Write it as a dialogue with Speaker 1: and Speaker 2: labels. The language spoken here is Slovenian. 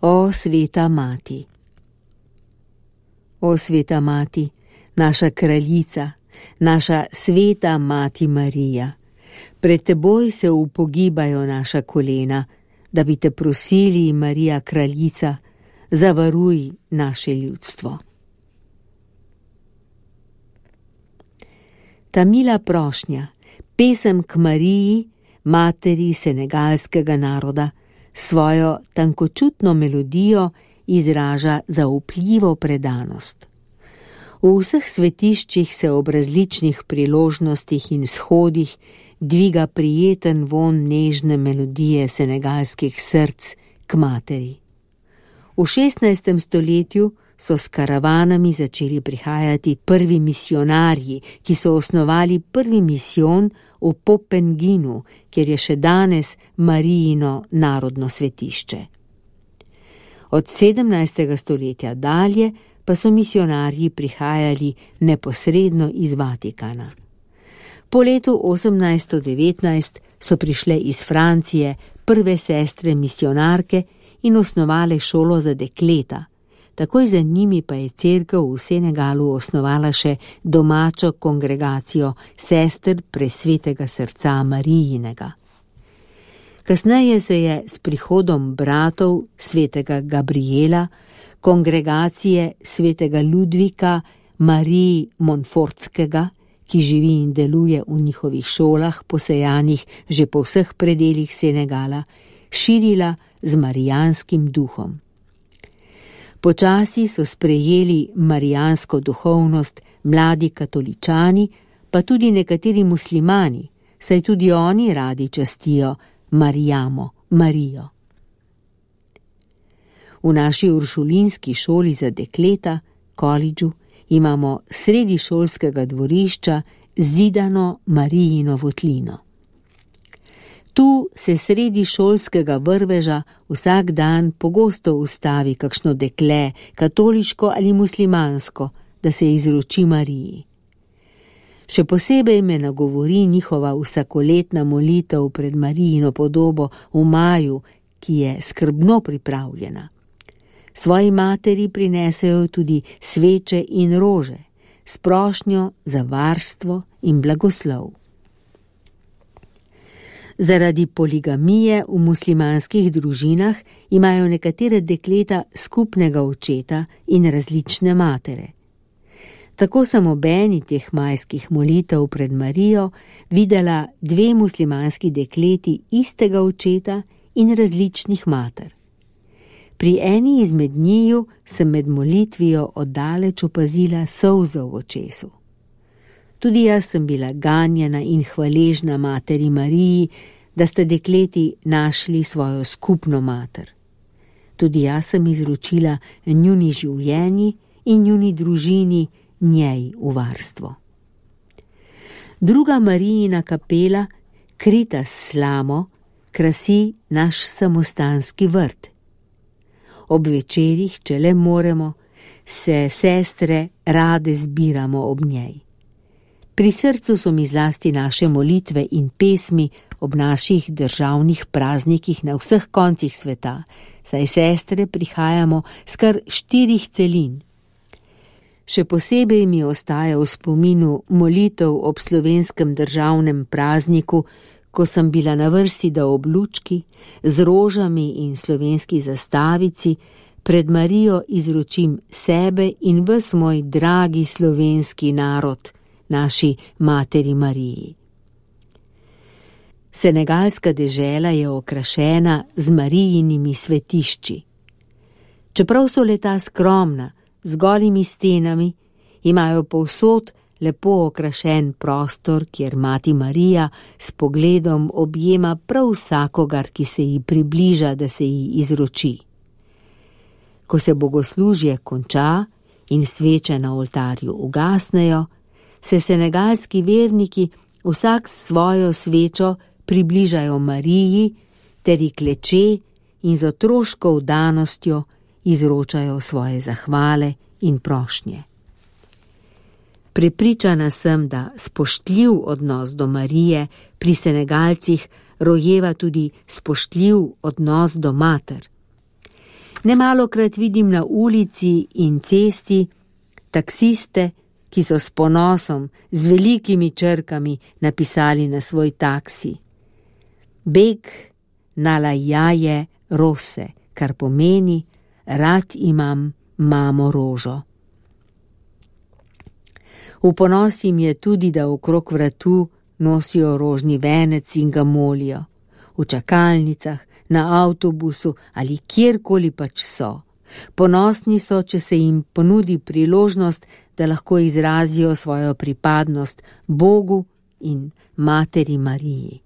Speaker 1: O sveta mati. O sveta mati, naša kraljica, naša sveta mati Marija, pred teboj se upogibajo naša kolena, da bi te prosili, Marija kraljica, zavaruj naše ljudstvo. Ta mila prošnja, pesem k Mariji, materi senegalskega naroda, svojo tankočutno melodijo izraža zaupljivo predanost. V vseh svetiščih se ob različnih priložnostih in shodih dviga prijeten vonj nežne melodije senegalskih src k materi. V 16. stoletju so s karavanami začeli prihajati prvi misionarji, ki so osnovali prvi misijon v Popenginu, kjer je še danes Marijino narodno svetišče. Od 17. stoletja dalje pa so misionarji prihajali neposredno iz Vatikana. Po letu 1819 so prišle iz Francije prve sestre misionarke in osnovale šolo za dekleta. Takoj za njimi pa je cerkev v Senegalu osnovala še domačo kongregacijo sester Presvetega srca Marijinega. Kasneje se je s prihodom bratov svetega Gabriela, kongregacije svetega Ludvika Mariji Montfortskega, ki živi in deluje v njihovih šolah, posejanih že po vseh predelih Senegala, širila z marijanskim duhom. Počasi so sprejeli marijansko duhovnost mladi katoličani, pa tudi nekateri muslimani, saj tudi oni radi častijo Marijamo, Marijo. V naši uršulinski šoli za dekleta, koledžu, imamo sredi šolskega dvorišča zidano Marijino votlino. Tu se sredi šolskega vrveža vsak dan pogosto ustavi kakšno dekle, katoliško ali muslimansko, da se izroči Mariji. Še posebej me nagovori njihova vsakoletna molitev pred Marijino podobo v maju, ki je skrbno pripravljena. Svoji materi prinesejo tudi sveče in rože, s prošnjo za varstvo in blagoslov. Zaradi poligamije v muslimanskih družinah imajo nekatere dekleta skupnega očeta in različne matere. Tako sem ob eni teh majskih molitev pred Marijo videla dve muslimanski dekleti istega očeta in različnih mater. Pri eni izmed njiju sem med molitvijo oddaleč opazila solze v očesu. Tudi jaz sem bila ganjena in hvaležna materi Mariji, da sta dekleti našli svojo skupno mater. Tudi jaz sem izročila njuni življenji in njuni družini njej v varstvo. Druga Marijina kapela, krita s slamo, krasi naš samostanski vrt. Ob večerih, če le moremo, se sestre rade zbiramo ob njej. Pri srcu so mi zlasti naše molitve in pesmi ob naših državnih praznikih na vseh koncih sveta, saj sestre prihajamo s kar 4 celin. Še posebej mi ostaja v spominu molitev ob slovenskem državnem prazniku, ko sem bila na vrsti, da ob lučki, z rožami in slovenski zastavici, pred Marijo izročim sebe in ves moj dragi slovenski narod, naši materi Mariji. Senegalska dežela je okrašena z Marijinimi svetišči. Čeprav so leta skromna, z golimi stenami, imajo povsod lepo okrašen prostor, kjer mati Marija s pogledom objema prav vsakogar, ki se ji približa, da se ji izroči. Ko se bogoslužje konča in sveče na oltarju ugasnejo, se senegalski verniki vsak s svojo svečo približajo Mariji ter ji kleče in z otroško vdanostjo izročajo svoje zahvale in prošnje. Prepričana sem, da spoštljiv odnos do Marije pri Senegalcih rojeva tudi spoštljiv odnos do mater. Nemalokrat vidim na ulici in cesti taksiste, ki so s ponosom, z velikimi črkami napisali na svoj taksi: Beg nalajaje rose, kar pomeni: rad imam mamo rožo. V ponos jim je tudi, da okrog vratu nosijo rožni venec in ga molijo. V čakalnicah, na avtobusu ali kjerkoli pač so. Ponosni so, če se jim ponudi priložnost, da lahko izrazijo svojo pripadnost Bogu in Materi Mariji.